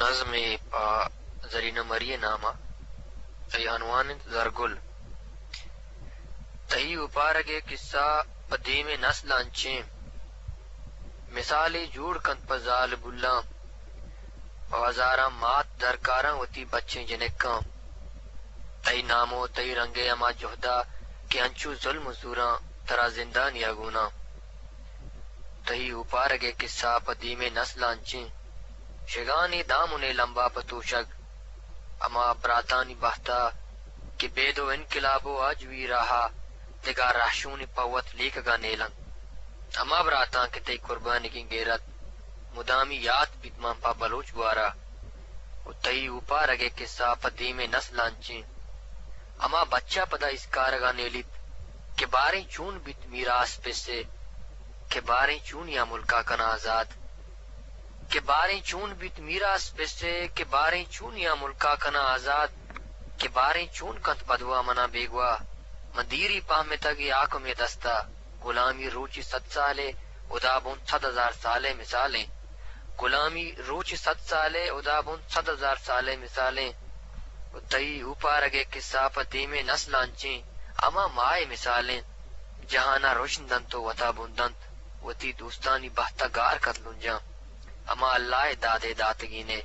نظمے پہ زرینہ مری ءِ نام ءَ۔ تئی عنوان اِنت زرگل۔ تئی اوپارگ ءِ کسہ پہ دیمیں نسل ءَ انچیں مثالے جوڑ کنت پہ زالبولاں، پہ ہزاراں مات درکاراں وتی بچیں جنکاں۔ تئی نام ءُ تئی رنگ ءِ ہما جہد ءَ کہ انچو ظلم ءُ زوراں ترا زندانی ءَ گوناں۔ تئی اوپارگ ءِ کسہ پہ دیمیں نسل ءَ انچیں شگانے دامنے لمبا پہ توشگ۔ ہما براتانی بہت ءَ کہ بید ءُ انقلاب ءُ آجوئی راہ ءَ دگہ رہشونے پہ وت لیکگ ءَ نیل اَنت۔ ہما براتاں کہ تئی قربانیگیں گیرت مدامی یات بیت مان پہ بلوچ گوار ءَ۔ ءُ تئی اوپارگ ءِ کسہ پہ دیمیں نسل ءَ انچیں ہما بچ ءَ پدا اسکارگ ءَ نیلیت کہ باریں چون بیت میراث پس ءِ، کہ باریں چون یا ملک ءَ کناں آزاد۔ کہ باریں چون بیت میراث پس ءِ، کہ باریں چون یا ملک ءَ کناں آزاد۔ کہ باریں چون کنت بدواہ منا بیگواہ، من دیری پہمتگ اے حاکم ءِ دست ءَ۔ غلامی روچے صد سالے، ہدا بنت صد ہزار سالے مثالیں۔ غلامی روچے صد سالے، ہدا بنت صد ہزار سالے مثالیں۔ ءُ تئی اوپارگ ءِ کسہ پہ دیمیں نسل ءَ انچیں ہما ماہ ءِ مثالیں۔ جہان ءَ رژن دنت ءُ وت ءَ بن دنت، وتی دوستانی بہت ءَ گار کنت لنجاں۔ ہما اللہ ءِ داد ءِ داتگینے،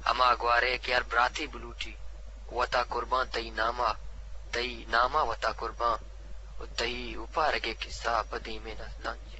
ہما گوارے کہ ہر براتے بلوٹی وت ءَ قربان تئی نام ءَ، تئی نام ءَ وت ءَ قربان۔ ءُ تئی اوپارگ ءِ کسہ پہ دیمیں نسل ءَ انچیں۔